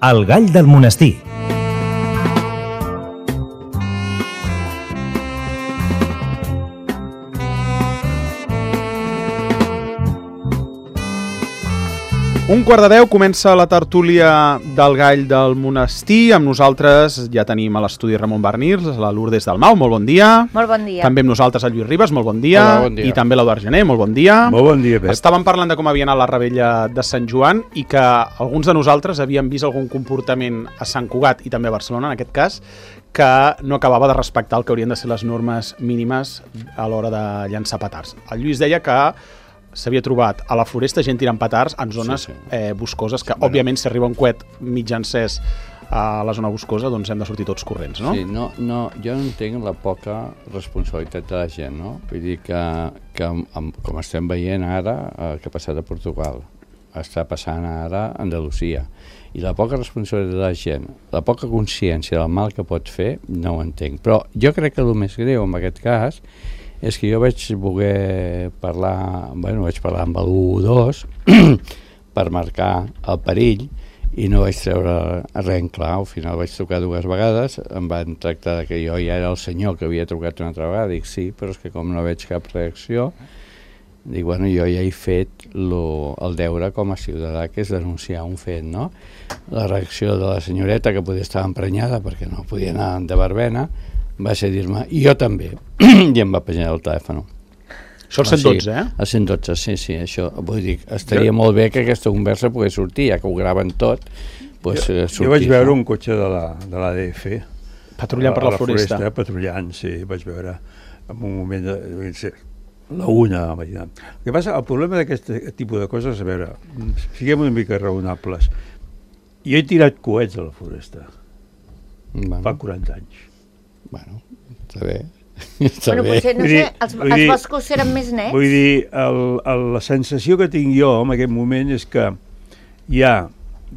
El gall del monestir. Un quart de 10 comença la tertúlia del gall del monestir. Amb nosaltres ja tenim a l'estudi Ramon Barnirs, la Lourdes Dalmau, molt bon dia. Molt bon dia. També amb nosaltres el Lluís Ribas, molt bon dia. Hola, bon dia. I també l'Eduard Gené, molt bon dia. Molt bon dia, Pep. Estàvem parlant de com havia anat la rebella de Sant Joan i que alguns de nosaltres havíem vist algun comportament a Sant Cugat i també a Barcelona, en aquest cas, que no acabava de respectar el que haurien de ser les normes mínimes a l'hora de llançar petards. El Lluís deia que s'havia trobat a la Floresta gent tirant petards en zones boscoses, que òbviament si arriba un coet mig encès a la zona boscosa, doncs hem de sortir tots corrents, no? Sí, no, jo no entenc la poca responsabilitat de la gent, no? Vull dir que com estem veient ara, que ha passat a Portugal, està passant ara a Andalusia, i la poca responsabilitat de la gent, la poca consciència del mal que pot fer, no ho entenc. Però jo crec que el més greu en aquest cas és que jo vaig voler parlar, vaig parlar amb l'1-2 per marcar el perill i no vaig treure res en clar. Al final vaig trucar 2 vegades, em van tractar que jo ja era el senyor que havia trucat una altra vegada. Dic sí, però és que com no veig cap reacció, dic, jo ja he fet el deure com a ciutadà, que és denunciar un fet, no? La reacció de la senyoreta, que podia estar emprenyada perquè no podia anar de verbena, va ser dir-me, i jo també, i em va penjar el telèfon. Això el 112, eh? El 112, sí, això. Vull dir, estaria molt bé que aquesta conversa pogués sortir, ja que ho graven tot, jo vaig veure un cotxe de l'ADF patrullant per la Floresta. Patrullant, sí, vaig veure en un moment la 1 de la matinada. El que passa, el problema d'aquest tipus de coses, a veure, siguem una mica raonables. Jo he tirat coets a la Floresta fa 40 anys. Està bé. Potser, no sé, els boscos eren més nets. Vull dir, la sensació que tinc jo en aquest moment és que hi ha,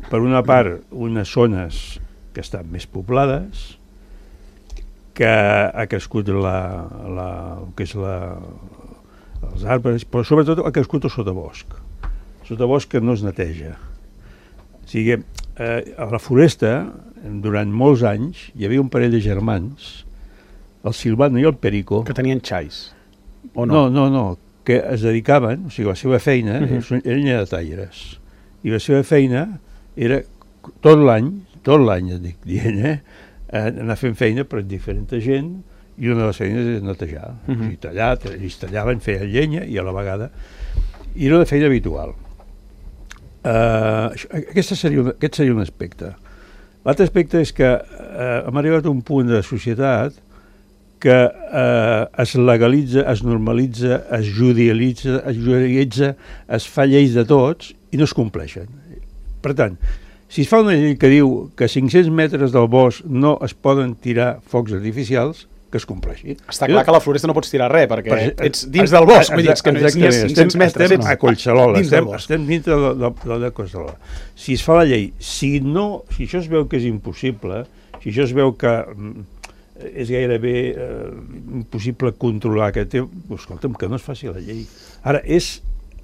per una part, unes zones que estan més poblades, que ha crescut els arbres, però sobretot ha crescut el sotabosc. El sotabosc que no es neteja. O sigui, a la Floresta, durant molts anys, hi havia un parell de germans, el Silvano i el Perico, que tenien xais, o no? No, que es dedicaven, o sigui, la seva feina, eren lletrataires, i la seva feina era tot l'any, et dic dient, anar fent feina per diferent gent, i una de les feines és netejar. O sigui, ells tallaven, feien llenya, i a la vegada, i era una feina habitual. Aquest seria un aspecte. L'altre aspecte és que hem arribat a un punt de societat que es legalitza, es normalitza, es judicialitza, es fa lleis de tots i no es compleixen. Per tant, si es fa una llei que diu que a 500 metres del bosc no es poden tirar focs artificials, que es compleixi. Està clar que a la Floresta no pots tirar res, perquè ets dins del bosc, vull dir, que no ets ni a 500 metres. Estem a Collserola, estem dintre de Collserola. Si es fa la llei, si això es veu que és impossible, si això es veu que és gairebé impossible controlar aquest tema, escolta'm, que no es faci la llei. Ara, és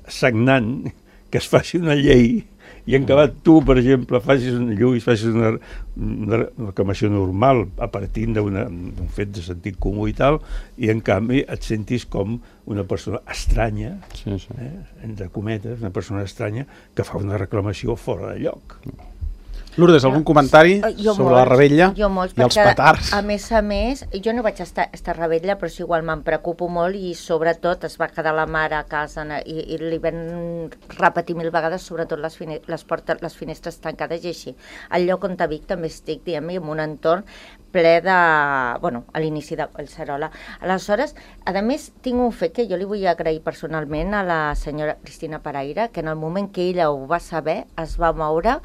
sagnant que es faci una llei i en acabat tu, per exemple, facis una reclamació normal a partir d'un fet de sentit comú i tal, i en canvi et sentis com una persona estranya, entre cometes, una persona estranya que fa una reclamació fora de lloc. Lourdes, algun comentari sobre la rebella i els petards? A més, jo no vaig estar rebella, però sí, igual me'n preocupo molt, i sobretot es va quedar la mare a casa i li van repetir 1000 vegades, sobretot les finestres tancades i així. Al lloc on Vic també estic, diguem-ne, en un entorn ple de... a l'inici de Collserola. Aleshores, a més, tinc un fet que jo li vull agrair personalment a la senyora Cristina Paraire, que en el moment que ella ho va saber, es va moure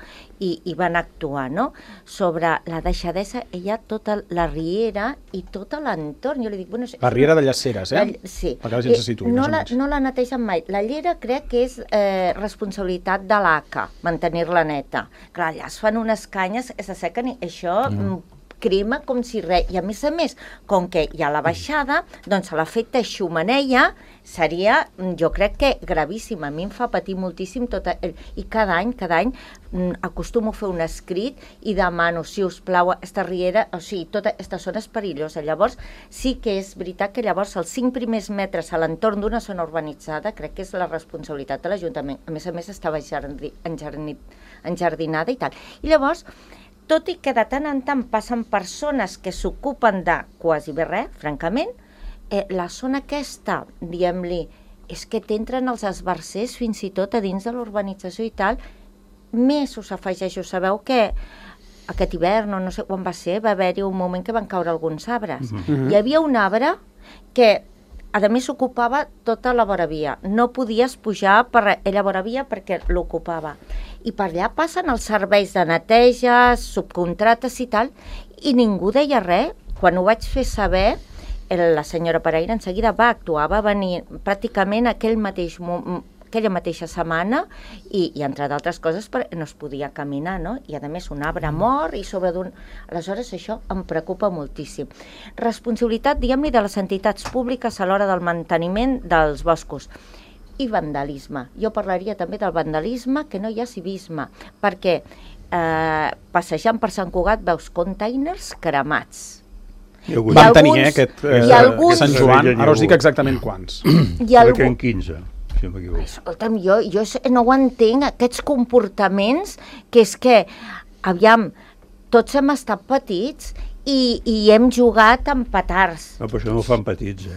i van actuar, no? Sobre la deixadesa, ella, tota la riera i tot l'entorn. Jo li dic, la riera de Llaceres, sí. Perquè la gent se situï. No la netegen mai. La llera crec que és responsabilitat de l'ACA, mantenir-la neta. Clar, allà es fan unes canyes que s'assequen i això crema com si res. I a més, com que hi ha la baixada, doncs l'efecte xumeneia seria, jo crec que gravíssim. A mi em fa patir moltíssim i cada any acostumo a fer un escrit i demano, si us plau, esta riera, o sigui, tota aquesta zona és perillosa. Llavors, sí que és veritat que llavors els 5 primers metres a l'entorn d'una zona urbanitzada crec que és la responsabilitat de l'Ajuntament. A més, estava enjardinada i tal. I llavors, tot i que de tant en tant passen persones que s'ocupen de quasi bé res, francament, la zona aquesta, diguem-li, és que t'entren els esbarzers fins i tot a dins de l'urbanització i tal, més us afegeixo. Sabeu que aquest hivern, no sé quan va ser, va haver-hi un moment que van caure alguns arbres. Hi havia un arbre que, a més, ocupava tota la voravia. No podies pujar per la voravia perquè l'ocupava. I per allà passen els serveis de neteja, subcontrates i tal, i ningú deia res. Quan ho vaig fer saber, la senyora Pereira en seguida va actuar, va venir pràcticament aquella mateixa setmana i entre d'altres coses no es podia caminar, no? I a més un arbre mort i sobre d'un... Aleshores això em preocupa moltíssim. Responsabilitat, diguem-ne, de les entitats públiques a l'hora del manteniment dels boscos. I vandalisme. Jo parlaria també del vandalisme, que no hi ha civisme, perquè passejant per Sant Cugat veus containers cremats. Vam tenir aquest Sant Joan, ara us dic exactament quants. Crec que en 15. Si no escolta'm, jo no ho entenc, aquests comportaments, que és que, aviam, tots hem estat petits i hem jugat amb petards. No, però això no ho fan petits,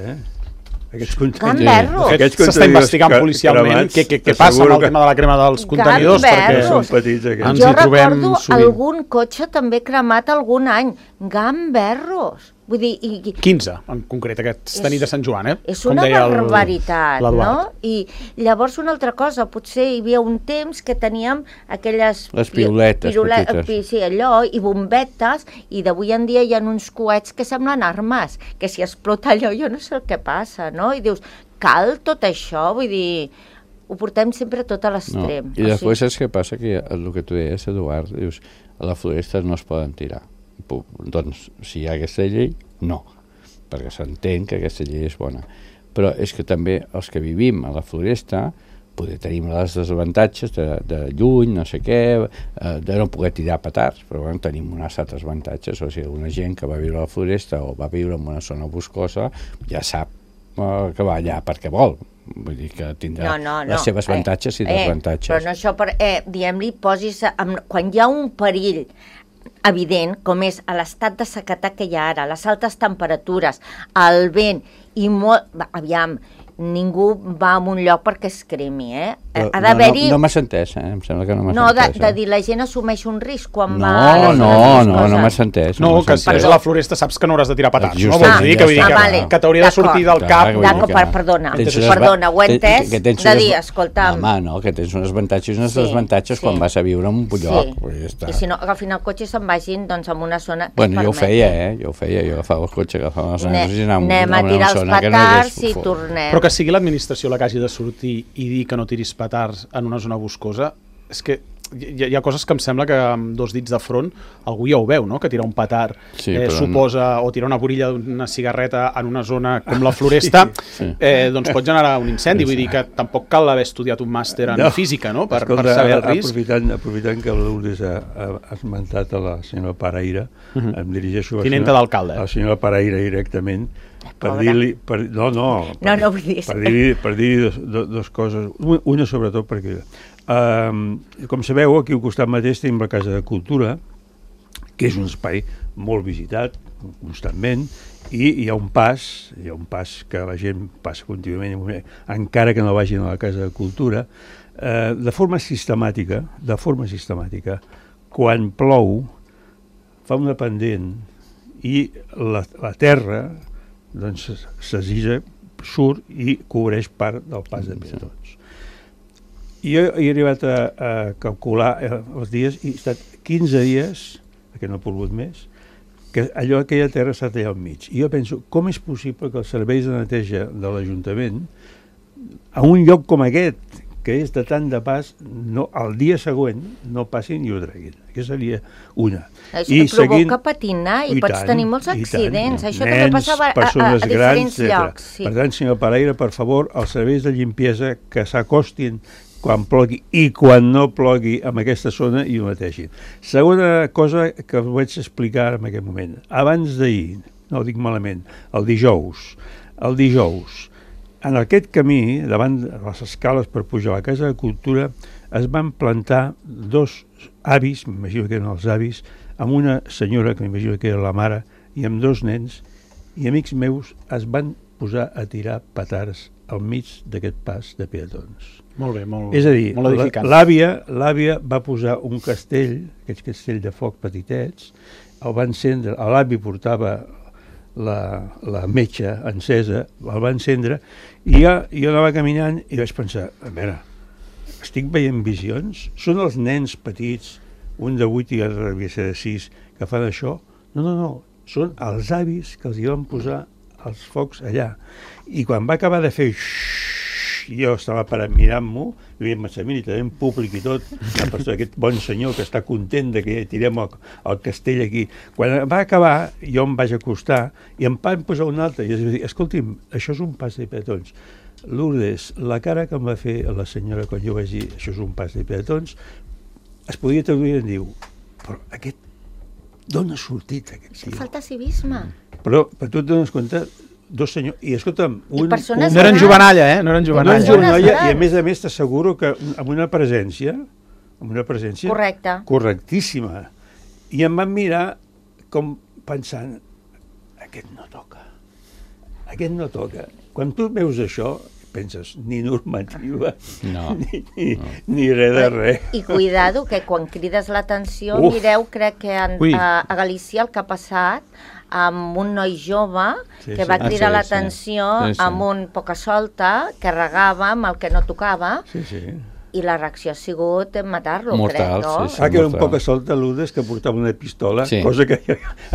Gamberros! S'està investigant policialment què passa amb el tema de la crema dels contenidors, perquè són petits aquests. ens hi trobem sovint. Jo recordo algun cotxe també cremat algun any. Gamberros! Vull dir... 15, en concret, aquesta nit de Sant Joan, És una barbaritat, no? I llavors una altra cosa, potser hi havia un temps que teníem aquelles... Les piuletes petites. Sí, allò, i bombetes, i d'avui en dia hi ha uns coets que semblen armes, que si explota allò jo no sé el que passa, no? I dius, cal tot això? Vull dir, ho portem sempre tot a l'extrem. No. I després és que passa que el que tu deies, Eduard, dius, a la floresta no es poden tirar. Doncs, si hi ha aquesta llei, no, perquè s'entén que aquesta llei és bona. Però és que també els que vivim a la floresta tenim els desavantatges de lluny, no sé què, de no poder tirar petards, però bueno, tenim uns altres avantatges. O sigui, una gent que va viure a la floresta o va viure en una zona boscosa ja sap que va allà perquè vol. Vull dir que tindrà les seves avantatges i desavantatges. Però no això, diguem-li, quan hi ha un perill evident, com és a l'estat de sequedat que hi ha ara, les altes temperatures, el vent i aviam, ningú va a un lloc perquè es cremi, Ha d'haver-hi... No m'has entès, em sembla que no m'has entès. No, de dir, la gent assumeix un risc quan va... No m'has entès. No, que si vas a la floresta saps que no hauràs de tirar petards. No vols dir que t'hauria de sortir del cap... Perdona, ho he entès de dir, escolta'm... Home, no, que tens uns avantatges i uns desavantatges quan vas a viure en un lloc. I si no, agafin el cotxe i se'n vagin en una zona... Bueno, jo ho feia, jo agafava el cotxe, agafava els nanos i anàvem a tirar els petards i tornem. Però que sigui l'administració la que hagi de sortir i dir que no tiris petards en una zona boscosa, és que hi ha coses que em sembla que amb 2 dits de front algú ja ho veu, no? Que tirar un petard suposa, o tirar una borilla d'una cigarreta en una zona com la floresta, doncs pot generar un incendi. Vull dir que tampoc cal haver estudiat un màster en física, no? Per saber el risc. Aprofitant que Lourdes ha esmentat a la senyora Pereira, em dirigeixo a la senyora Pereira directament, per dir-li... Per dir-li dues coses. Una, sobretot, perquè... Com sabeu, aquí al costat mateix tenim la Casa de Cultura, que és un espai molt visitat constantment, i hi ha un pas que la gent passa contínuament, encara que no vagin a la Casa de Cultura, de forma sistemàtica, quan plou, fa una pendent i la terra doncs s'esguisa, surt i cobreix part del pas de peatons. Jo he arribat a calcular els dies i he estat 15 dies, perquè no he plogut més, que aquella terra està allà al mig. I jo penso, com és possible que els serveis de neteja de l'Ajuntament, a un lloc com aquest, que és de tant de pas, el dia següent no passin i ho treguin. Aquesta seria una. Això provoca patinar i pots tenir molts accidents. Això també passava a diferents llocs. Per tant, senyor Pereira, per favor, els serveis de limpiesa que s'acostin quan plogui i quan no plogui en aquesta zona i ho netegin. Segona cosa que us vaig explicar en aquest moment. Abans d'ahir, no ho dic malament, el dijous, en aquest camí, davant de les escales per pujar a la Casa de Cultura, es van plantar dos avis, m'imagino que eren els avis, amb una senyora, que m'imagino que era la mare, i amb dos nens, i amics meus es van posar a tirar petards al mig d'aquest pas de peatons. Molt bé, molt És a dir, molt edificant. l'àvia va posar un castell, aquest castell de foc petitets, el va encendre, l'avi portava la metxa encesa, el va encendre, i jo anava caminant i vaig pensar, a veure, estic veient visions? Són els nens petits, un de 8 i l'altre devia ser de 6, que fan això? No, són els avis que els hi van posar els focs allà. I quan va acabar de fer jo estava parat mirant-m'ho, i havia pensat, mira, també en públic i tot, aquest bon senyor que està content de que tirem el castell aquí. Quan va acabar, jo em vaig acostar i em van posar un altre, i es va dir, escolti'm, això és un pas de peatons. Lourdes, la cara que em va fer la senyora quan jo vaig dir, això és un pas de peatons, es podia traduir en diu, però d'on ha sortit aquest tio? Falta civisme. Però tu et dones compte, dos senyors, i escolta'm, no eren jovenalla, no eren jovenalla, i a més t'asseguro que amb una presència correctíssima, i em van mirar com pensant, aquest no toca. Quan tu veus això, penses, ni normativa, ni res de res. I cuidado, que quan crides l'atenció, mireu, crec que a Galícia el que ha passat amb un noi jove que va cridar l'atenció amb un poca solta que regava amb el que no tocava i la reacció ha sigut matar-lo, crec, no? Que era un poca solta, Lourdes, que portava una pistola, cosa que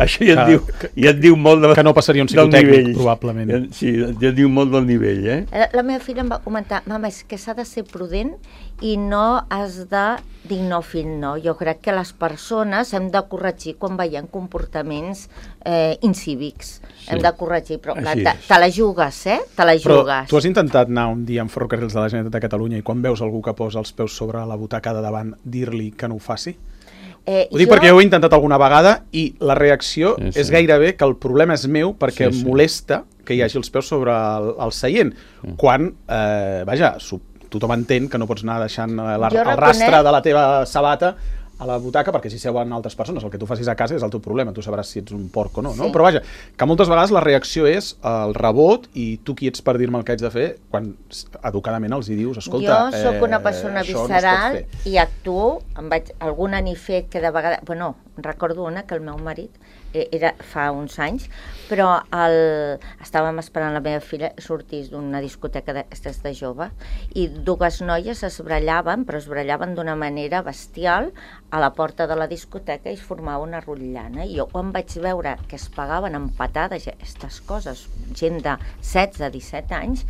això ja et diu molt del nivell. Que no passaria un psicotècnic, probablement. Sí, ja et diu molt del nivell, La meva filla em va comentar, mama, és que s'ha de ser prudent i no has de dir no fill no. Jo crec que les persones hem de corregir quan veiem comportaments incívics. Hem de corregir, però te la jugues, te la jugues. Però tu has intentat anar un dia en Ferrocarrils de la Generalitat de Catalunya i quan veus algú que posa els peus sobre la butaca de davant, dir-li que no ho faci? Ho dic perquè jo ho he intentat alguna vegada i la reacció és gairebé que el problema és meu perquè em molesta que hi hagi els peus sobre el seient. Quan, vaja, tothom entén que no pots anar deixant el rastre de la teva sabata a la butaca perquè si seuen altres persones. El que tu facis a casa és el teu problema, tu sabràs si ets un porc o no, no? Però vaja, que moltes vegades la reacció és el rebot i tu qui ets per dir-me el que haig de fer quan educadament els hi dius, escolta, jo sóc una persona visceral i actuo, alguna n'hi fet que de vegades... Bueno, recordo una que el meu marit era fa uns anys, però estàvem esperant la meva filla sortís d'una discoteca de jove i dues noies es brallaven, però es brallaven d'una manera bestial a la porta de la discoteca i es formava una rotllana. I jo quan vaig veure que es pagaven amb patades aquestes coses, gent de 16-17 anys,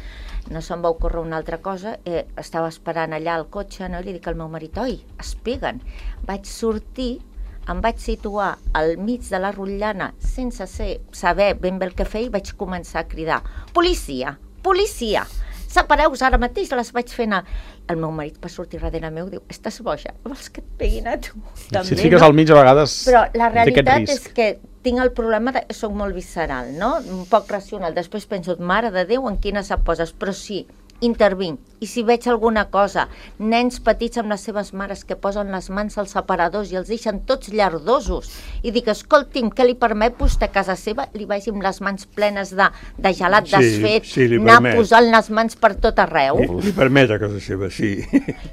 no se'm va ocórrer una altra cosa, estava esperant allà al cotxe, no? I li dic al meu marit, oi, es peguen. Vaig sortir, em vaig situar al mig de la rotllana sense saber ben bé el que feia i vaig començar a cridar, policia, policia, separeu-vos ara mateix, les vaig fer anar. El meu marit va sortir darrere meu i diu, estàs boja, vols que et peguin a tu? Si et fiques al mig a vegades però la realitat és que tinc el problema que soc molt visceral, no? Un poc racional. Després penso, mare de Déu, en quines et poses? Però sí, intervinc. I si veig alguna cosa, nens petits amb les seves mares que posen les mans als separadors i els deixen tots llardosos i dic, escolti'm, què li permet vostè a casa seva? Li vagi amb les mans plenes de gelat desfet, anar posant les mans per tot arreu. Li permet a casa seva, sí.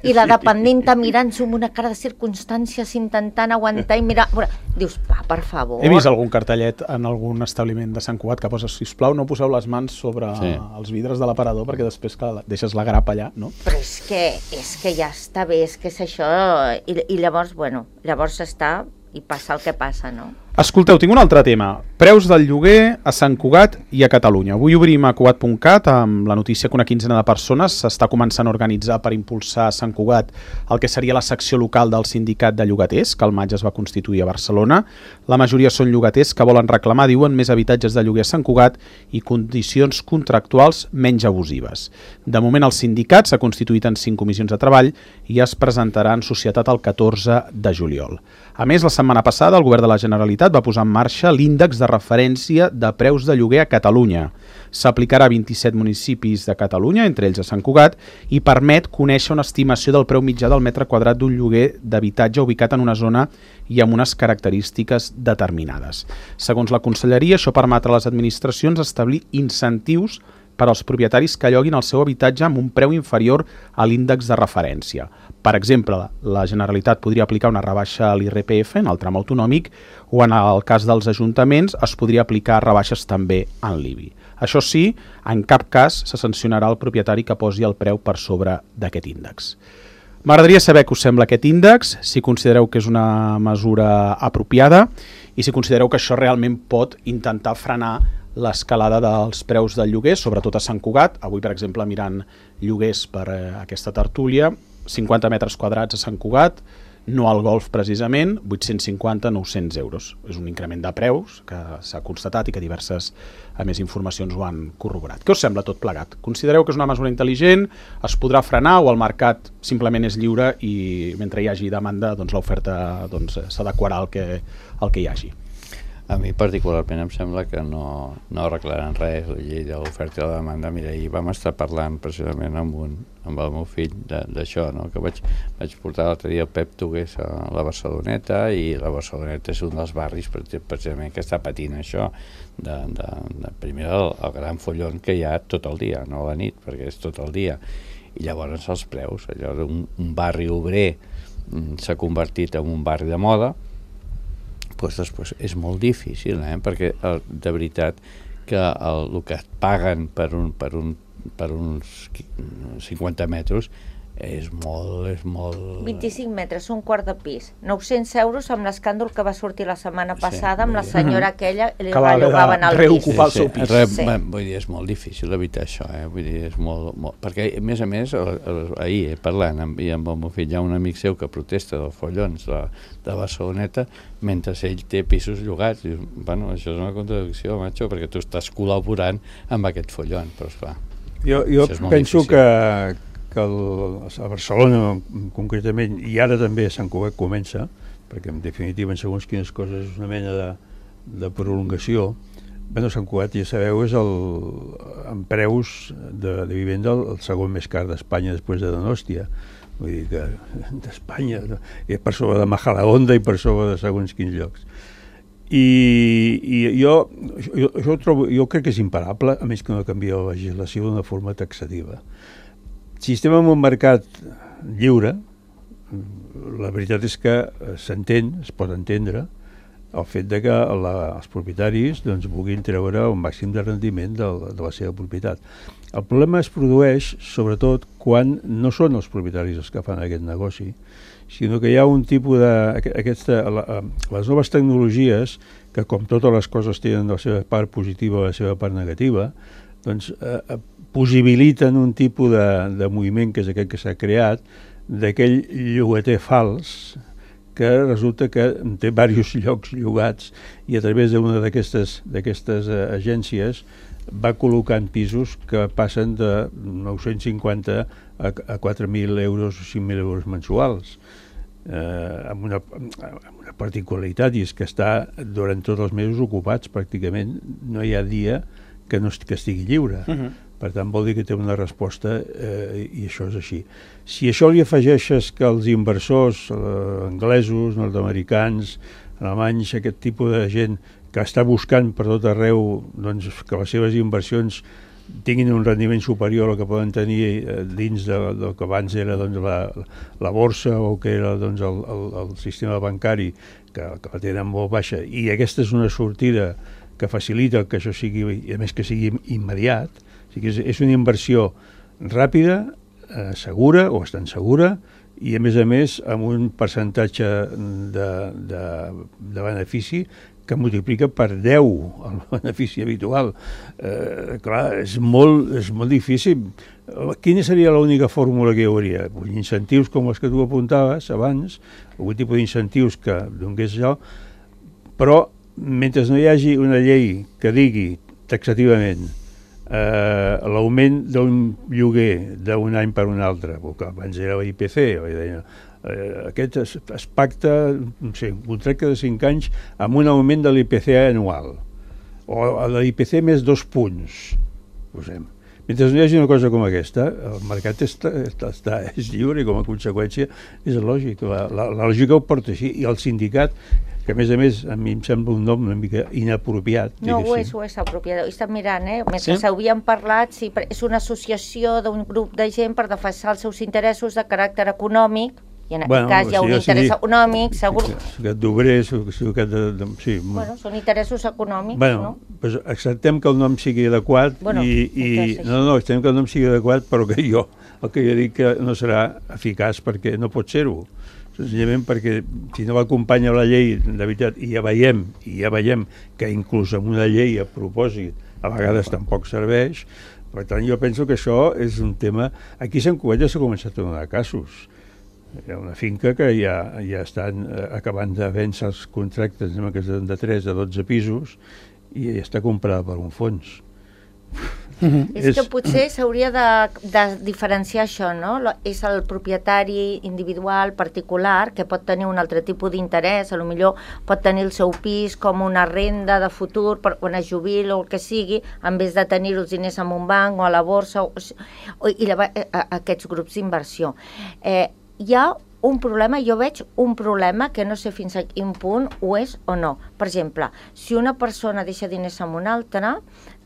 I la dependenta mirant-s'ho amb una cara de circumstàncies intentant aguantar i mirar... Dius, per favor. He vist algun cartellet en algun establiment de Sant Cugat que posa, sisplau, no poseu les mans sobre els vidres de l'aparador perquè després que deixes la grapa allà, no? Però és que ja està bé, és que és això, i llavors, bueno, llavors està i passa el que passa, no? Escolteu, tinc un altre tema. Preus del lloguer a Sant Cugat i a Catalunya. Avui obrim a Cugat.cat amb la notícia que una quinzena de persones s'està començant a organitzar per impulsar a Sant Cugat el que seria la secció local del sindicat de llogaters, que al maig es va constituir a Barcelona. La majoria són llogaters que volen reclamar, diuen, més habitatges de lloguer a Sant Cugat i condicions contractuals menys abusives. De moment el sindicat s'ha constituït en 5 comissions de treball i es presentarà en societat el 14 de juliol. A més, la setmana passada el govern de la Generalitat va posar en marxa l'índex de referència de preus de lloguer a Catalunya. S'aplicarà a 27 municipis de Catalunya, entre ells a Sant Cugat, i permet conèixer una estimació del preu mitjà del metre quadrat d'un lloguer d'habitatge ubicat en una zona i amb unes característiques determinades. Segons la Conselleria, això permetrà a les administracions establir incentius per als propietaris que lloguin el seu habitatge amb un preu inferior a l'índex de referència. Per exemple, la Generalitat podria aplicar una rebaixa a l'IRPF en el tram autonòmic o en el cas dels ajuntaments es podria aplicar rebaixes també en l'IBI. Això sí, en cap cas se sancionarà el propietari que posi el preu per sobre d'aquest índex. M'agradaria saber què us sembla aquest índex, si considereu que és una mesura apropiada i si considereu que això realment pot intentar frenar l'escalada dels preus del lloguer, sobretot a Sant Cugat. Avui, per exemple, mirant lloguers per aquesta tertúlia, 50 metres quadrats a Sant Cugat, no al Golf precisament, 850-900 euros. És un increment de preus que s'ha constatat i que diverses, a més, informacions ho han corroborat. Què us sembla tot plegat? Considereu que és una mesura intel·ligent, es podrà frenar o el mercat simplement és lliure i mentre hi hagi demanda doncs l'oferta s'adequarà al que hi hagi? A mi particularment em sembla que no arreglaran res la llei de l'oferta i la demanda. Mira, ahir vam estar parlant precisament amb el meu fill d'això, no? Que vaig portar l'altre dia el Pep Tugués a la Barceloneta i la Barceloneta és un dels barris precisament que està patint això primer el gran follon que hi ha tot el dia, no a la nit, perquè és tot el dia. I llavors els preus, allò d'un barri obrer s'ha convertit en un barri de moda. Després és molt difícil, perquè de veritat que el que et paguen per uns 50 metres és molt... 25 metres, un quart de pis, 900 euros amb l'escàndol que va sortir la setmana passada amb la senyora aquella que li rellogaven el pis. Reocupar el seu pis. Vull dir, és molt difícil evitar això, vull dir, és molt... Perquè, a més, ahir parlant amb el meu fill, hi ha un amic seu que protesta dels follons de Barceloneta mentre ell té pisos llogats. Dius, bueno, això és una contradicció, macho, perquè tu estàs col·laborant amb aquest follon, però esclar. Jo penso que a Barcelona concretament, i ara també a Sant Cugat comença, perquè en definitiva en segons quines coses és una mena de prolongació. Bueno, Sant Cugat, ja sabeu, és en preus de vivenda el segon més car d'Espanya després de Donòstia. Vull dir que d'Espanya, per sobre de Majadahonda i per sobre de segons quins llocs. I jo crec que és imparable, a més que no canvia la legislació d'una forma taxativa. Si estem en un mercat lliure, la veritat és que s'entén, es pot entendre, el fet de que els propietaris vulguin treure un màxim de rendiment de la seva propietat. El problema es produeix, sobretot, quan no són els propietaris els que fan aquest negoci, sinó que hi ha un tipus les noves tecnologies, que com totes les coses tenen la seva part positiva o la seva part negativa, possibiliten un tipus de moviment, que és aquest que s'ha creat, d'aquell llogater fals, que resulta que té diversos llocs llogats i a través d'una d'aquestes agències va col·locant pisos que passen de 950 a 4.000 euros o 5.000 euros mensuals, amb una particularitat, i és que està durant tots els mesos ocupats pràcticament, no hi ha dia que estigui lliure. Per tant, vol dir que té una resposta i això és així. Si això li afegeixes que els inversors anglesos, nord-americans, alemanys, aquest tipus de gent que està buscant per tot arreu que les seves inversions tinguin un rendiment superior al que poden tenir dins del que abans era la borsa o que era el sistema bancari, que la tenen molt baixa, i aquesta és una sortida que facilita que això sigui, i a més que sigui immediat. O sigui, és una inversió ràpida, segura o bastant segura, i a més amb un percentatge de benefici que multiplica per 10 el benefici habitual. Clar, és molt difícil. Quina seria l'única fórmula que hi hauria? Incentius com els que tu apuntaves abans, algun tipus d'incentius que donés això, però mentre no hi hagi una llei que digui taxativament l'augment d'un lloguer d'un any per un altre, que abans era l'IPC, aquest es pacta, no sé, un contracte de 5 anys amb un augment de l'IPC anual, o de l'IPC més 2 punts, posem. Mentre no hi hagi una cosa com aquesta, el mercat és lliure i com a conseqüència és lògic. La lògica ho porta així. I el sindicat, que a més a mi em sembla un nom una mica inapropiat. No, ho és apropiat. He estat mirant, mentre s'havien parlat, sí, és una associació d'un grup de gent per defensar els seus interessos de caràcter econòmic, i en aquest cas hi ha un interès econòmic, segur. D'obrers, sí. Bueno, són interessos econòmics, no? Doncs acceptem que el nom sigui adequat acceptem que el nom sigui adequat, però que jo dic que no serà eficaç perquè no pot ser-ho. Senzillament perquè si no l'acompanya la llei, de veritat, i ja veiem que inclús amb una llei a propòsit a vegades tampoc serveix. Per tant, jo penso que això és un tema... Aquí a Sant Cugat ja s'ha començat a donar casos. Hi ha una finca que ja estan acabant de vèncer els contractes, que són de 3 a 12 pisos, i ja està comprada per un fons. És que potser s'hauria de diferenciar això, no? És el propietari individual, particular, que pot tenir un altre tipus d'interès, potser pot tenir el seu pis com una renda de futur per quan es jubili o el que sigui, en vez de tenir els diners en un banc o a la borsa, i aquests grups d'inversió. Hi ha un problema, jo veig un problema que no sé fins a quin punt ho és o no. Per exemple, si una persona deixa diners amb una altra,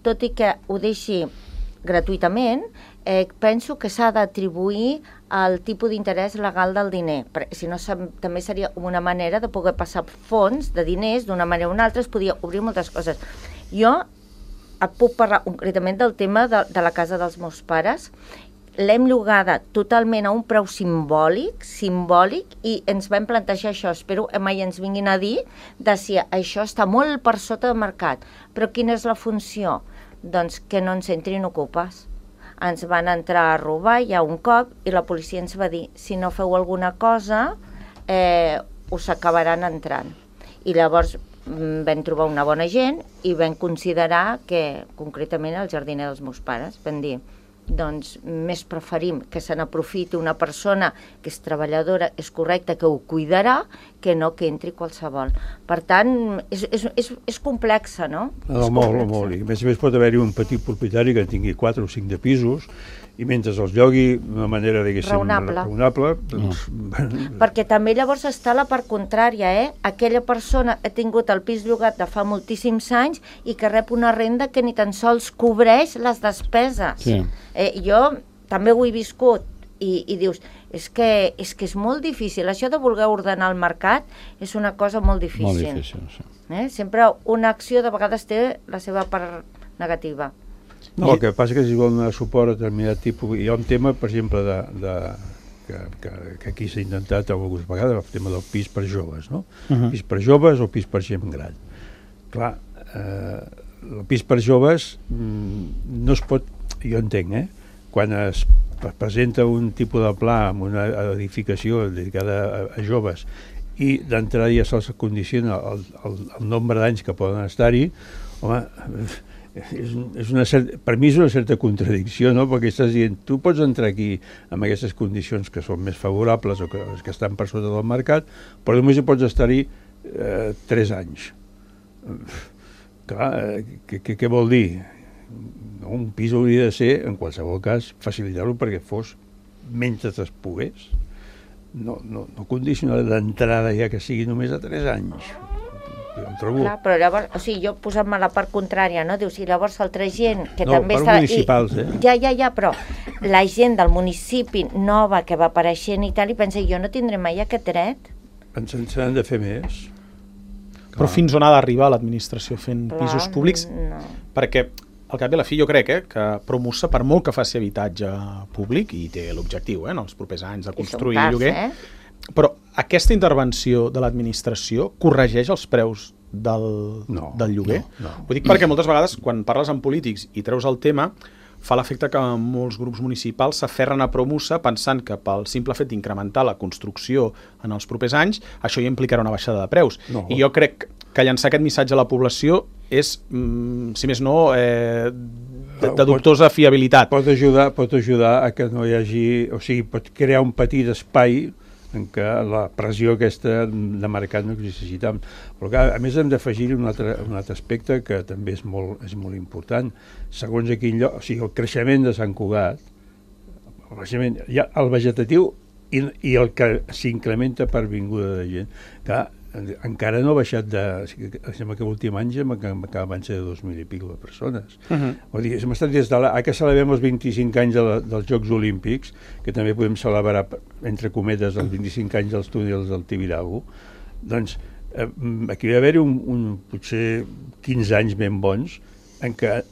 tot i que ho deixi gratuïtament, penso que s'ha d'atribuir el tipus d'interès legal del diner. Si no, també seria una manera de poder passar fons de diners d'una manera o una altra, es podria obrir moltes coses. Jo et puc parlar concretament del tema de la casa dels meus pares. L'hem llogada totalment a un preu simbòlic, i ens vam plantejar això. Espero que mai ens vinguin a dir si això està molt per sota del mercat. Però quina és la funció? Doncs que no ens entrin ocupes. Ens van entrar a robar ja un cop i la policia ens va dir si no feu alguna cosa us acabaran entrant. I llavors vam trobar una bona gent i vam considerar que, concretament, el jardiner dels meus pares, vam dir doncs més preferim que se n'aprofiti una persona que és treballadora, és correcta, que ho cuidarà, que no que entri qualsevol. Per tant, és complexa, no? Molt. I a més pot haver-hi un petit propietari que en tingui 4 o 5 de pisos i mentre els llogui d'una manera, diguéssim, raonable. Perquè també llavors està la part contrària, Aquella persona ha tingut el pis llogat de fa moltíssims anys i que rep una renda que ni tan sols cobreix les despeses. Sí. Jo també ho he viscut i dius, és que és molt difícil. Això de voler ordenar el mercat és una cosa molt difícil. Molt difícil, sí. Sempre una acció de vegades té la seva part negativa. No, el que passa que si vol donar suport a determinat tipus... Hi ha un tema, per exemple, que aquí s'ha intentat algunes vegades, el tema del pis per joves, no? Pis per joves o pis per gent gran. Clar, el pis per joves no es pot... Jo entenc, quan es presenta un tipus de pla amb una edificació dedicada a joves i d'entrada ja se'ls condiciona el nombre d'anys que poden estar-hi, home... per mi és una certa contradicció, no? Perquè estàs dient, tu pots entrar aquí amb aquestes condicions que són més favorables o que estan per sota del mercat, però només hi pots estar-hi 3 anys. Clar, què vol dir? Un pis hauria de ser, en qualsevol cas, facilitar-lo perquè fos mentre es pogués. No condicionar d'entrada ja que sigui només a 3 anys. Clar, però llavors, jo posant-me la part contrària, no? Dius, i llavors altra gent que no, també està... No, municipals, Ja, però la gent del municipi nova que va apareixent i tal, i pensa, jo no tindré mai aquest dret. Ens n'han de fer més. Però fins on ha d'arribar l'administració fent pisos públics? No. Perquè, al cap i a la fi, jo crec que Promusa, per molt que faci habitatge públic, i té l'objectiu, en els propers anys, de construir lloguer, però aquesta intervenció de l'administració corregeix els preus del lloguer? No. Ho dic perquè moltes vegades, quan parles amb polítics i treus el tema, fa l'efecte que molts grups municipals s'aferren a Promusa pensant que pel simple fet d'incrementar la construcció en els propers anys, això ja implicarà una baixada de preus. No. I jo crec que llançar aquest missatge a la població és, si més no, de dubtosa fiabilitat. Pot ajudar a que no hi hagi... O sigui, pot crear un petit espai en què la pressió aquesta de mercat no existeixi tant. Però clar, a més hem d'afegir un altre aspecte que també és molt important. Segons a quin lloc, o sigui, el creixement de Sant Cugat, el vegetatiu i el que s'incrementa per vinguda de gent, clar, encara no ha baixat de... Sembla que l'últim any van ser de 2.000 i pico de persones. Vull dir, hem estat des de que celebrem els 25 anys dels Jocs Olímpics, que també podem celebrar, entre cometes, els 25 anys dels túnels del Tibidabo, doncs aquí va haver-hi potser 15 anys ben bons en què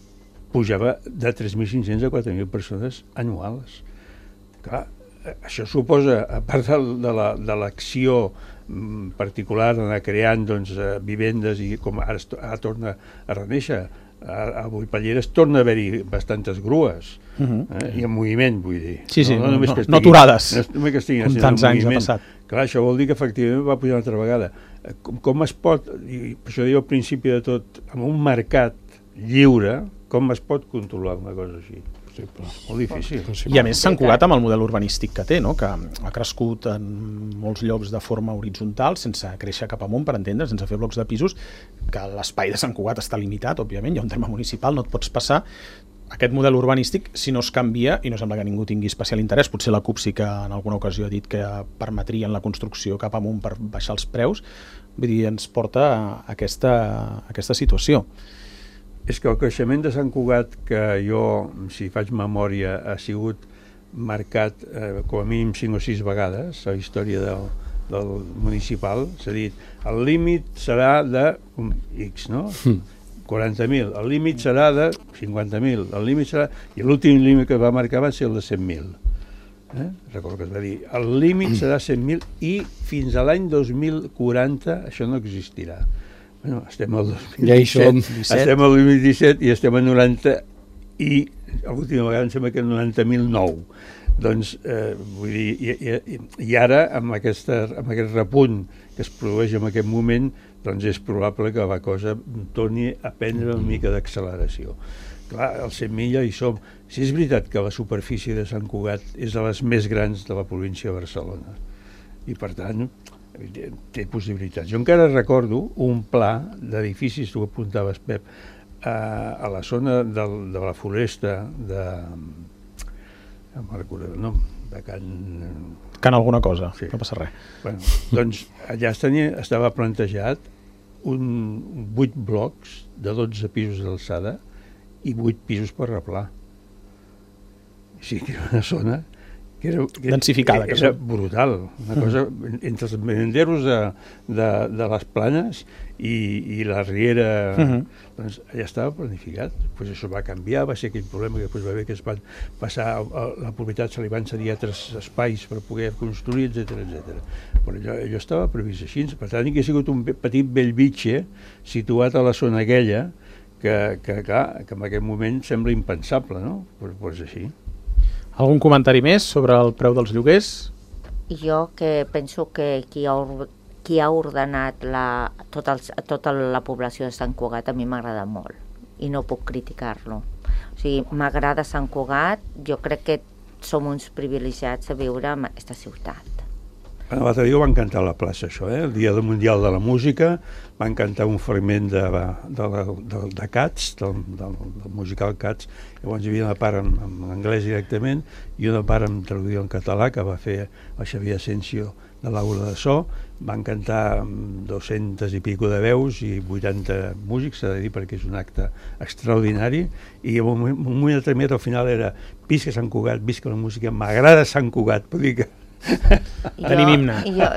pujava de 3.500 a 4.000 persones anuals. Clar, això suposa, a part de l'acció particular d'anar creant vivendes i com ara torna a reneixer, a Boipalleres torna a haver-hi bastantes grues i en moviment, vull dir. Sí, no aturades, com tants anys ha passat. Clar, això vol dir que efectivament va pujar una altra vegada. Com es pot, i per això diu al principi de tot, amb un mercat lliure, com es pot controlar una cosa així? Molt difícil. I a més Sant Cugat amb el model urbanístic que té, no? Que ha crescut en molts llocs de forma horitzontal, sense créixer cap amunt, per entendre, sense fer blocs de pisos, que l'espai de Sant Cugat està limitat, òbviament, hi ha un terme municipal, no et pots passar. Aquest model urbanístic, si no es canvia, i no sembla que ningú tingui especial interès, potser la CUP sí que en alguna ocasió ha dit que permetrien la construcció cap amunt per baixar els preus, vull dir, ens porta a aquesta situació. És que el creixement de Sant Cugat, que jo, si faig memòria, ha sigut marcat com a mínim 5 o 6 vegades a la història del municipal, s'ha dit, el límit serà de X, no? 40.000, el límit serà de 50.000, el límit serà... I l'últim límit que va marcar va ser el de 100.000. Recordo que es va dir, el límit serà 100.000 i fins a l'any 2040 això no existirà. Bueno, estem al 2017, estem al 2017 i estem a 90 i l'última vegada em sembla que 90.009. Doncs, vull dir, i ara amb aquest repunt que es produeix en aquest moment, doncs és probable que la cosa torni a prendre una mica d'acceleració. Clar, als 100.000 ja hi som. Si és veritat que la superfície de Sant Cugat és de les més grans de la província de Barcelona i per tant té possibilitats. Jo encara recordo un pla d'edificis, tu ho apuntaves, Pep, a la zona de la foresta de Can alguna cosa, sí. No passa res. Bueno, doncs allà estava plantejat 8 blocs de 12 pisos d'alçada i 8 pisos per replà. O sigui, que era una zona densificada, era brutal, una cosa entre els merenderos de les Planes i la Riera, doncs allà estava planificat. Pues això va canviar, va ser aquell problema que va haver que es van passar la propietat, se li van cedir altres espais per poder construir, etc. Però allò estava previst així, per tant hi ha sigut un petit Bellvitge situat a la zona aquella que en aquest moment sembla impensable, no? Però és així. Algun comentari més sobre el preu dels lloguers? Jo que penso que qui ha ordenat tota la població de Sant Cugat a mi m'agrada molt i no puc criticar-lo. O sigui, m'agrada Sant Cugat, jo crec que som uns privilegiats a viure en aquesta ciutat. L'altre dia ho van cantar a la plaça, això, el Dia Mundial de la Música, van cantar un fragment de Cats, del musical Cats, llavors hi havia una part en anglès directament i una part en traducció en català que va fer el Xavier Asensio de l'Aula de So, van cantar 200 i pico de veus i 80 músics, s'ha de dir perquè és un acte extraordinari, i en un moment determinat al final era visca Sant Cugat, visca la música, m'agrada Sant Cugat, vull dir que Tenim himne.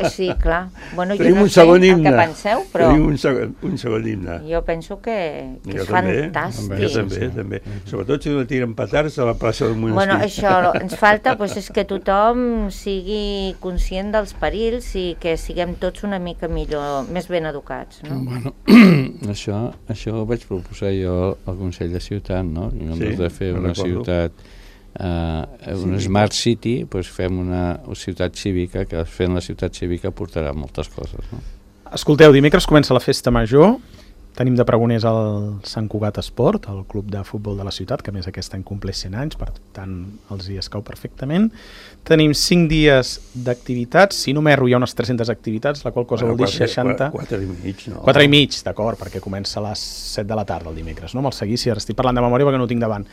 Sí, clar. Bueno, jo Tenim no un sé segon el himne. que penseu, però Tenim un segon himne. jo penso que Jo és també, fantàstic. Jo també. Sobretot si no tiren petards a la plaça del monestir. Bueno, això ens falta és que tothom sigui conscient dels perills i que siguem tots una mica millor, més ben educats, no? Bueno, això ho vaig proposar jo al Consell de Ciutat, no? En comptes de fer una ciutat, una Smart City, doncs fem una ciutat cívica, que fent la ciutat cívica portarà moltes coses, no? Escolteu, dimecres comença la festa major, tenim de pregoners el Sant Cugat Esport, el club de futbol de la ciutat, que a més aquest any compleix 100 anys, per tant els hi escau perfectament. Tenim 5 dies d'activitats, si no m'erro hi ha unes 300 activitats, la qual cosa vol dir 60... 4 i mig, no? 4 i mig, d'acord, perquè comença a les 7 de la tarda el dimecres, no? Me'l seguissi, ara estic parlant de memòria perquè no ho tinc davant.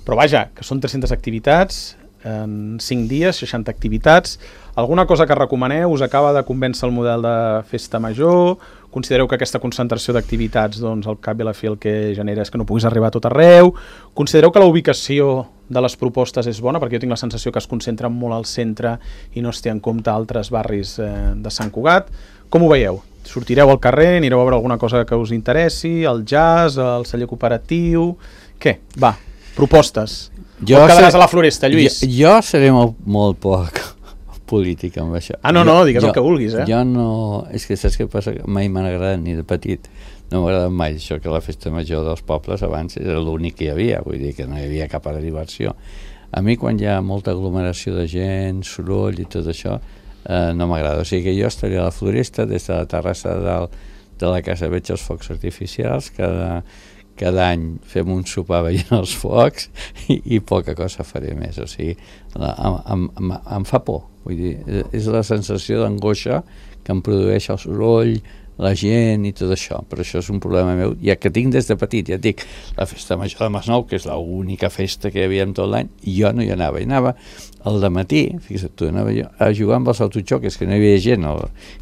Però vaja, que són 300 activitats, en 5 dies, 60 activitats. Alguna cosa que recomaneu? Us acaba de convèncer el model de festa major? Considereu que aquesta concentració d'activitats, doncs, al cap i a la fi el que genera és que no puguis arribar a tot arreu? Considereu que la ubicació de les propostes és bona? Perquè jo tinc la sensació que es concentren molt al centre i no es té en compte altres barris de Sant Cugat. Com ho veieu? Sortireu al carrer, anireu a veure alguna cosa que us interessi, el jazz, el celler cooperatiu... Què? Va, propostes. O quedaràs a la Floresta, Lluís? Jo seré molt poc polític amb això. No, digues el que vulguis, Jo no... És que saps què passa? Mai m'ha agradat ni de petit. No m'ha agradat mai això, que la festa major dels pobles abans era l'únic que hi havia, vull dir que no hi havia cap altra diversió. A mi quan hi ha molta aglomeració de gent, soroll i tot això, no m'agrada. O sigui que jo estaria a la Floresta, des de la terrassa de la casa veig els focs artificials, cada any fem un sopar veient els focs i poca cosa faré més, o sigui, em fa por, vull dir, és la sensació d'angoixa que em produeix el soroll, la gent i tot això, però això és un problema meu, ja que tinc des de petit, ja et dic, la festa major de Masnou, que és l'única festa que hi havia tot l'any, jo no hi anava, al dematí, fixa't tu, anava jo a jugar amb els autoxoques, que no hi havia gent,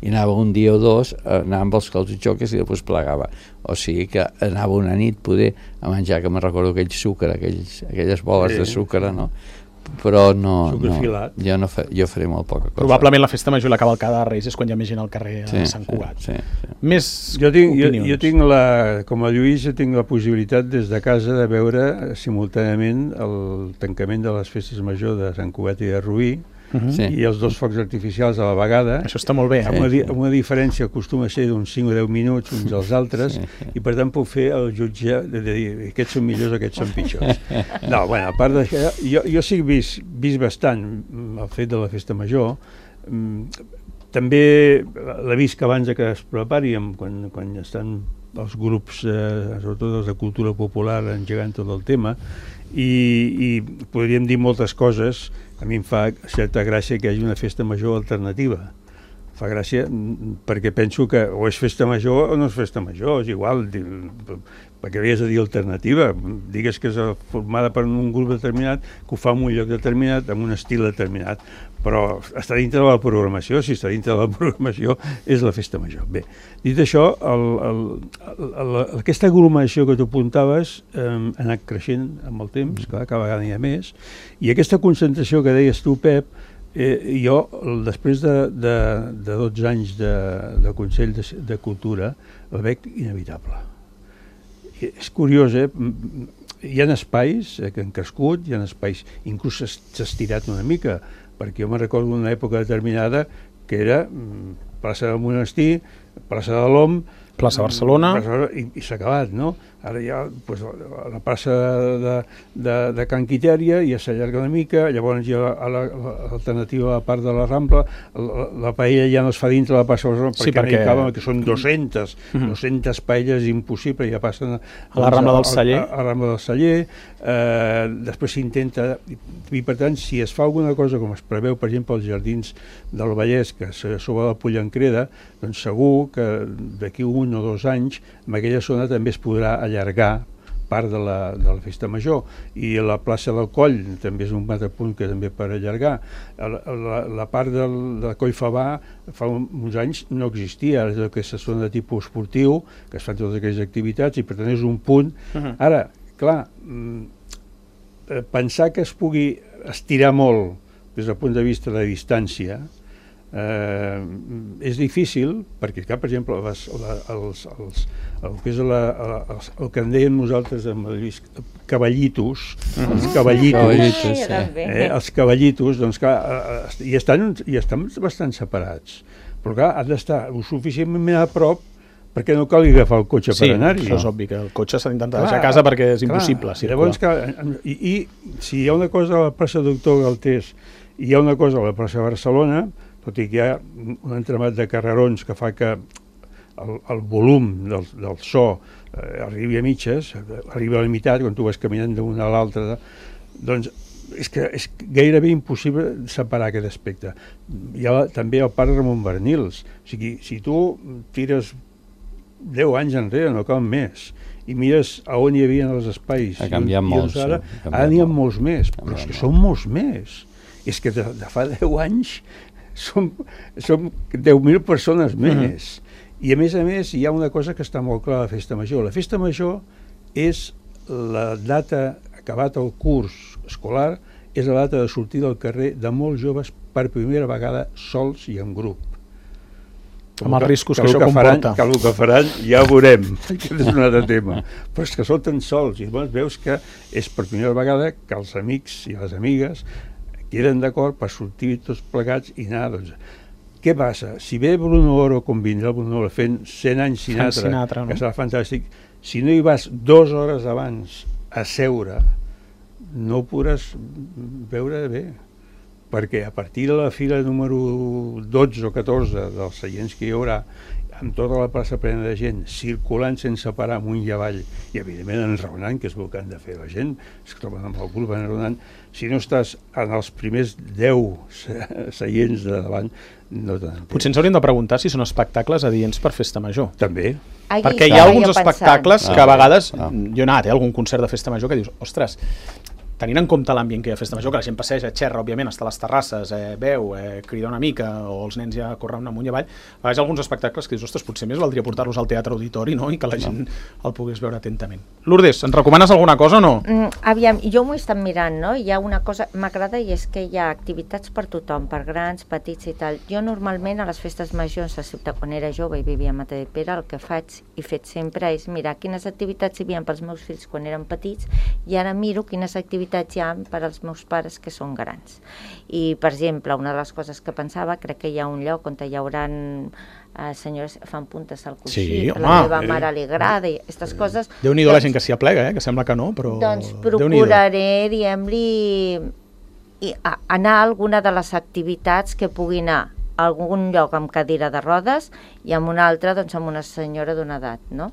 i anava un dia o dos, anava amb els autoxoques i després plegava, o sigui que anava una nit poder a menjar, que me'n recordo aquell sucre, aquelles boles de sucre, no? Però jo faré molt poca cosa. Probablement la festa major i la cavalcada de Reis és quan hi ha més gent al carrer a Sant Cugat. Més opinions. Jo tinc com a Lluís, jo tinc la possibilitat des de casa de veure simultàniament el tancament de les festes major de Sant Cugat i de Rubí, i els dos focs artificials a la vegada. Això està molt bé. Amb una diferència acostuma a ser d'uns 5 o 10 minuts uns als altres, i per tant puc fer el jutge de dir aquests són millors, aquests són pitjors. No, bueno, a part d'això, jo sí que he vist bastant el fet de la festa major. També l'he vist que abans que es prepari, quan estan els grups, sobretot els de cultura popular, engegant tot el tema, i podríem dir moltes coses. A mi em fa certa gràcia que hi hagi una festa major alternativa. Fa gràcia perquè penso que o és festa major o no és festa major, és igual, perquè havies de dir alternativa, digues que és formada per un grup determinat, que ho fa en un lloc determinat, amb un estil determinat, però està dintre de la programació. Si està dintre de la programació és la festa major. Bé, dit això, aquesta aglomeració que tu apuntaves ha anat creixent amb el temps, clar, cada vegada n'hi ha més, i aquesta concentració que deies tu, Pep, jo, després de 12 anys de Consell de Cultura, el veig inevitable. És curiós, hi ha espais que han crescut, hi ha espais, inclús s'ha estirat una mica, perquè jo me'n recordo d'una època determinada que era plaça del Monestir, plaça de l'Om, plaça Barcelona, i s'ha acabat, no? Ara hi ha la plaça de Can Quitèria, ja s'allarga una mica, llavors hi ha l'alternativa a la part de la Rambla, la paella ja no es fa dintre la plaça Barcelona, perquè no hi caben, que són 200 paelles impossibles, ja passen a la Rambla del Celler. A la Rambla del Celler, després s'intenta, i per tant, si es fa alguna cosa com es preveu, per exemple, als Jardins del Vallès, que sobre la Pollancreda, doncs segur que d'aquí 1 o 2 anys, en aquella zona també es podrà allargar part de la festa major, i la plaça del Coll també és un altre punt que també per allargar. La part del Coll Favà fa uns anys no existia, és aquesta zona de tipus esportiu, que es fan totes aquelles activitats, i per tant és un punt. Ara, clar, pensar que es pugui estirar molt des del punt de vista de distància, és difícil, perquè, per exemple, el que en dèiem nosaltres amb cavallitos, els cavallitos, doncs clar, i estan bastant separats, però clar, han d'estar suficientment a prop perquè no cal agafar el cotxe per anar-hi. Sí, això és obvi, que el cotxe s'ha d'intentar deixar a casa perquè és impossible circular. Llavors, i si hi ha una cosa a la plaça Doctor Galtés i hi ha una cosa a la plaça Barcelona, tot i que hi ha un entramat de carrerons que fa que el volum del so arribi a mitges, arribi a la meitat, quan tu vas caminant d'una a l'altra, doncs és que és gairebé impossible separar aquest aspecte. Hi ha també el parc Ramon Bernils. O sigui, si tu tires 10 anys enrere, no cal més, i mires a on hi havia els espais, ha canviat molt, ara n'hi ha molts més, però és que són molts més. És que de fa 10 anys som 10.000 persones més. I a més, hi ha una cosa que està molt clara a la Festa Major. La Festa Major és la data, acabat el curs escolar, és la data de sortir del carrer de molts joves per primera vegada sols i en grup. Amb els riscos que això comporta. Que el que faran ja ho veurem, aquest és un altre tema, però és que surten sols i llavors veus que és per primera vegada que els amics i les amigues queden d'acord per sortir tots plegats i anar, doncs. Què passa? Si ve Bruno Oro, com vindrà Bruno Oro fent 100 anys Sinatra, que serà fantàstic, si no hi vas 2 hores abans a seure, no ho podràs veure bé, perquè a partir de la fila número 12 o 14 dels seients que hi haurà, amb tota la plaça plena de gent, circulant sense parar amunt i avall, i evidentment enraonant, que és el que han de fer la gent, es troben amb el cul enraonant, si no estàs en els primers 10 seients de davant, no t'entens. Potser ens hauríem de preguntar si són espectacles adients per Festa Major. També. Perquè hi ha alguns espectacles que a vegades, jo he anat a algun concert de Festa Major que dius, ostres, tenint en compte l'ambient que hi ha a Festa Major, que la gent passeja, xerra, òbviament, està a les terrasses, beu, crida una mica, o els nens ja corren amunt i avall, a vegades alguns espectacles que dius, ostres, potser més valdria portar-los al teatre auditori, no?, i que la gent el pogués veure atentament. Lourdes, ens recomanes alguna cosa o no? Aviam, jo m'ho he estat mirant, no?, hi ha una cosa, m'agrada, i és que hi ha activitats per tothom, per grans, petits i tal. Jo normalment a les festes majors a ciutat, quan era jove i vivia a Matadepera, el que faig i fet sempre és mirar quines activitats hi havia pels meus fills quan eren petits i ara miro quines activitats hi ha per als meus pares que són grans. I, per exemple, una de les coses que pensava, crec que hi ha un lloc on hi haurà senyores fan puntes al coixí, a la meva mare li agrada, i aquestes coses. Déu-n'hi-do la gent que s'hi aplega, que sembla que no, però... Doncs procuraré, diguem-li, anar a alguna de les activitats que pugui anar a algun lloc amb cadira de rodes i amb una altra, doncs, amb una senyora d'una edat, no?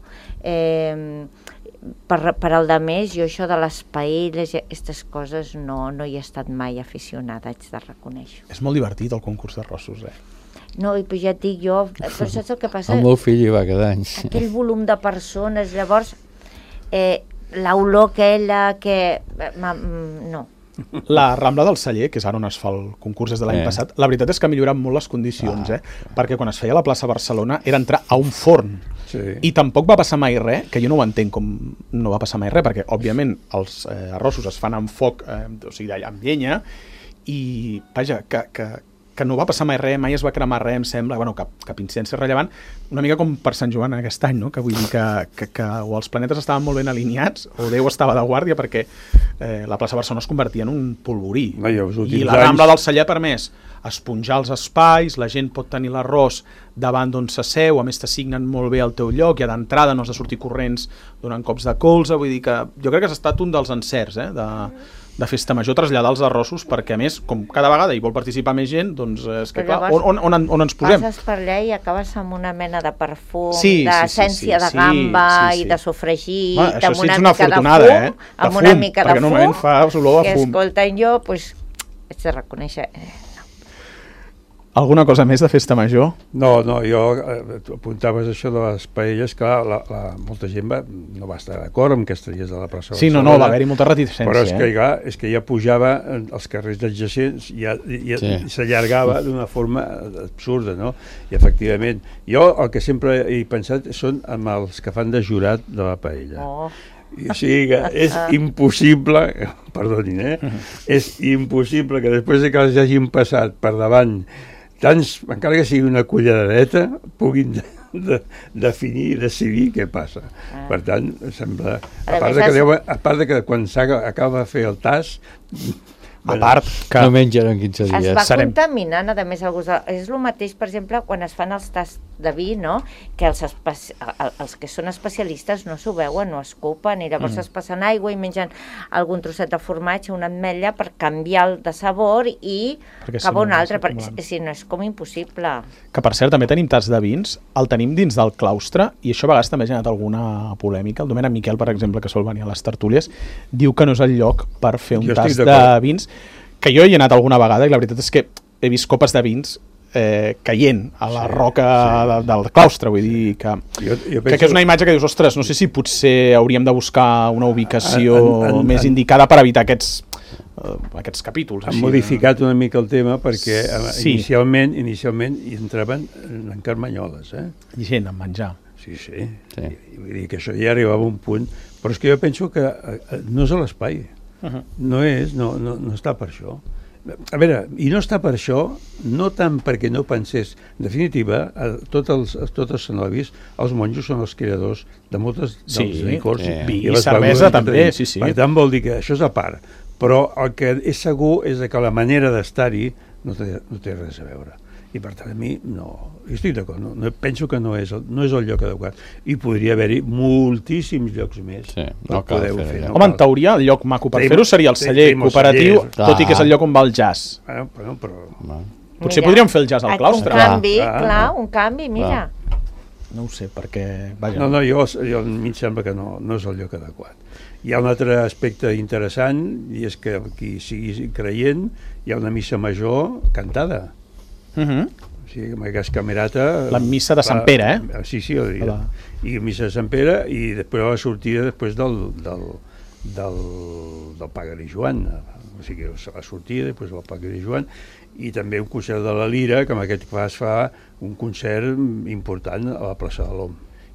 Per al de més, jo això de les paelles i aquestes coses no hi he estat mai aficionada, haig de reconèixer. És molt divertit el concurs d'arrossos, No, i ja et dic jo, però saps el que passa? El meu fill hi va cada any. Aquell volum de persones, llavors, l'olor aquella que... no. La Rambla del Celler, que és ara on es fa el concurs des de l'any passat, la veritat és que ha millorat molt les condicions, perquè quan es feia a la plaça Barcelona era entrar a un forn, i tampoc va passar mai res, que jo no ho entenc com no va passar mai res, perquè òbviament els arrossos es fan amb foc, o sigui, amb llenya, i vaja, que no va passar mai res, mai es va cremar res, em sembla, bueno, cap incidència rellevant, una mica com per Sant Joan aquest any, no? Que vull dir que o els planetes estaven molt ben alineats o Déu estava de guàrdia, perquè la plaça Barcelona es convertia en un polvorí. I la Rambla del Celler ha permès esponjar els espais, la gent pot tenir l'arròs davant d'on s'asseu, a més t'assignen molt bé el teu lloc, i a d'entrada no has de sortir corrents donant cops de colze, vull dir que jo crec que ha estat un dels encerts de Festa Major, traslladar els arrossos, perquè a més, com cada vegada hi vol participar més gent, doncs és que clar, on ens posem? Passes per allà i acabes amb una mena de perfum, d'essència de gamba i de sofregit, amb una mica de fum, amb una mica de fum, que escolten jo, doncs, haig de reconèixer... Alguna cosa més de Festa Major? No, jo apuntaves això de les paelles, clar, molta gent no va estar d'acord amb aquests dies de la plaça Barcelona. Sí, no, va haver-hi molta reticència. Però és que ja pujava als carrers adjacents i s'allargava d'una forma absurda, no? I efectivament, jo el que sempre he pensat són amb els que fan de jurat de la paella. O sigui que és impossible, perdonin, és impossible que després que els hagin passat per davant tants, encara que sigui una culleradeta, puguin definir i decidir què passa. Per tant, sembla... A part de que quan acaba de fer el tas... A part que... No mengen en 15 dies. Es va contaminant, a més, és el mateix, per exemple, quan es fan els tasts de vi, no? Que els que són especialistes no s'ho veuen, no escupen, i llavors es passen aigua i mengen algun trosset de formatge, una ametlla, per canviar el de sabor i cap a un altre, perquè si no és com impossible. Que, per cert, també tenim tasts de vins, el tenim dins del claustre, i això a vegades també ha generat alguna polèmica. El Domènec Miquel, per exemple, que sol venir a les tertúlies, diu que no és el lloc per fer un tast de vins, que jo hi he anat alguna vegada i la veritat és que he vist copes de vins caient a la roca del claustre, vull dir que és una imatge que dius, ostres, no sé si potser hauríem de buscar una ubicació més indicada per evitar aquests capítols. Han modificat una mica el tema perquè inicialment hi entraven en carmanyoles. Gent, en menjar. Sí. Vull dir que això ja arribava a un punt, però és que jo penso que no és a l'espai. No està per això. A veure, i no està per això, no tant perquè no pensés, en definitiva, tots els cenovis, els monjos són els creadors de moltes dels licors. Vi i cervesa també, sí. Per tant, vol dir que això és a part. Però el que és segur és que la manera d'estar-hi no té res a veure. I per tant, a mi, no. Estic d'acord, penso que no és el lloc adequat. I podria haver-hi moltíssims llocs més. Sí, no cal fer. Home, en teoria, el lloc maco per fer-ho seria el celler cooperatiu, tot i que és el lloc on va el jazz. Potser podríem fer el jazz al claustre. Un canvi, mira. No ho sé, perquè... No, jo a mi em sembla que no és el lloc adequat. Hi ha un altre aspecte interessant, i és que qui sigui creient, hi ha una missa major cantada. O sigui, amb aquest camerata... La missa de Sant Pere, Sí, el dia. I missa de Sant Pere, i després la sortida després del Pagari Joan. O sigui, la sortida, després del Pagari Joan, i també un concert de la Lira, que en aquest cas fa un concert important a la plaça de l'Om.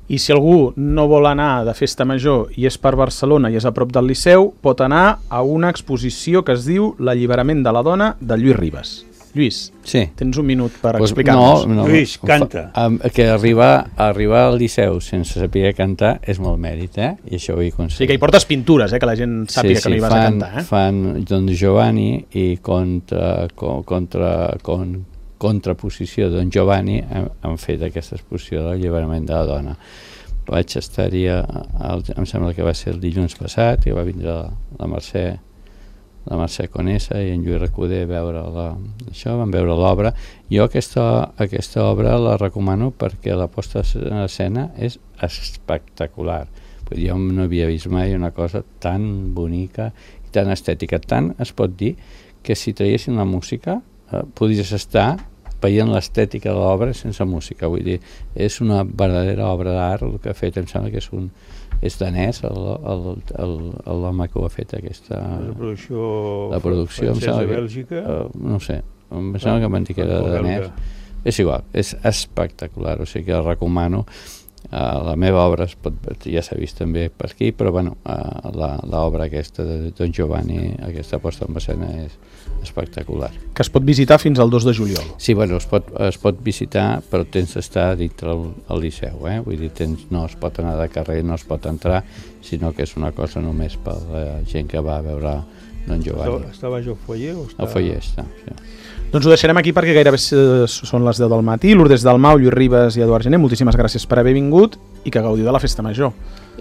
I si algú no vol anar de festa major i és per Barcelona i és a prop del Liceu, pot anar a una exposició que es diu L'alliberament de la dona, de Lluís Ribas. Lluís, tens un minut per explicar-nos. No, Lluís, canta. Que arribar al Liceu sense saber cantar és molt mèrit, i això ho he aconseguit. Sí, que hi portes pintures, que la gent sàpiga que no hi vas a cantar. Fan Don Giovanni i contraposició Don Giovanni han fet aquesta exposició de l'alliberament de la dona. Vaig estar-hi, em sembla que va ser el dilluns passat, i va vindre la Mercè Conesa i en Lluís Recoder a veure això, van veure l'obra. Jo aquesta obra la recomano perquè la posta en escena és espectacular. Jo no havia vist mai una cosa tan bonica i tan estètica. Tant es pot dir que si traiessin la música podries estar veient l'estètica de l'obra sense música. Vull dir, és una verdadera obra d'art el que ha fet. Em sembla que és danès l'home que ho ha fet aquesta... La producció francesa de Bèlgica? No sé, em sembla que m'han dit que era danès. És igual, és espectacular, o sigui que el recomano. La meva obra ja s'ha vist també per aquí, però bueno, l'obra aquesta de Don Giovanni, aquesta posta en escena és espectacular. Que es pot visitar fins al 2 de juliol. Sí, bueno, es pot visitar, però tens d'estar dintre el Liceu, vull dir, no es pot anar de carrer, no es pot entrar, sinó que és una cosa només per la gent que va a veure Don Giovanni. Està baix al foyer? Al foyer està, sí. Doncs ho deixarem aquí perquè gairebé són les 10 del matí. Lourdes Dalmau, Lluís Ribas i Eduard Gené, moltíssimes gràcies per haver vingut i que gaudiu de la festa major.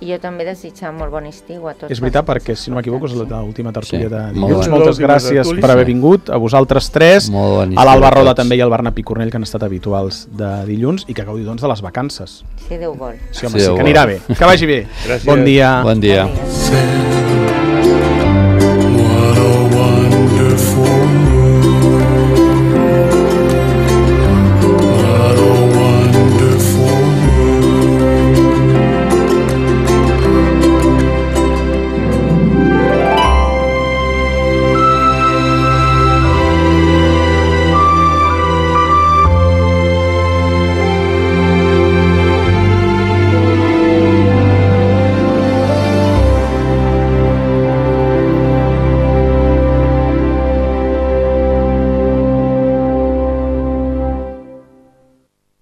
I jo també desitjar molt bon estiu a tots. És veritat, perquè si no m'equivoco és l'última tertúlia de dilluns. Moltes gràcies per haver vingut, a vosaltres tres, a l'Alba Roda també i al Bernat Picornell, que han estat habituals de dilluns, i que gaudiu doncs de les vacances. Si Déu vol. Sí, home, sí, que anirà bé. Que vagi bé. Gràcies. Bon dia. Bon dia.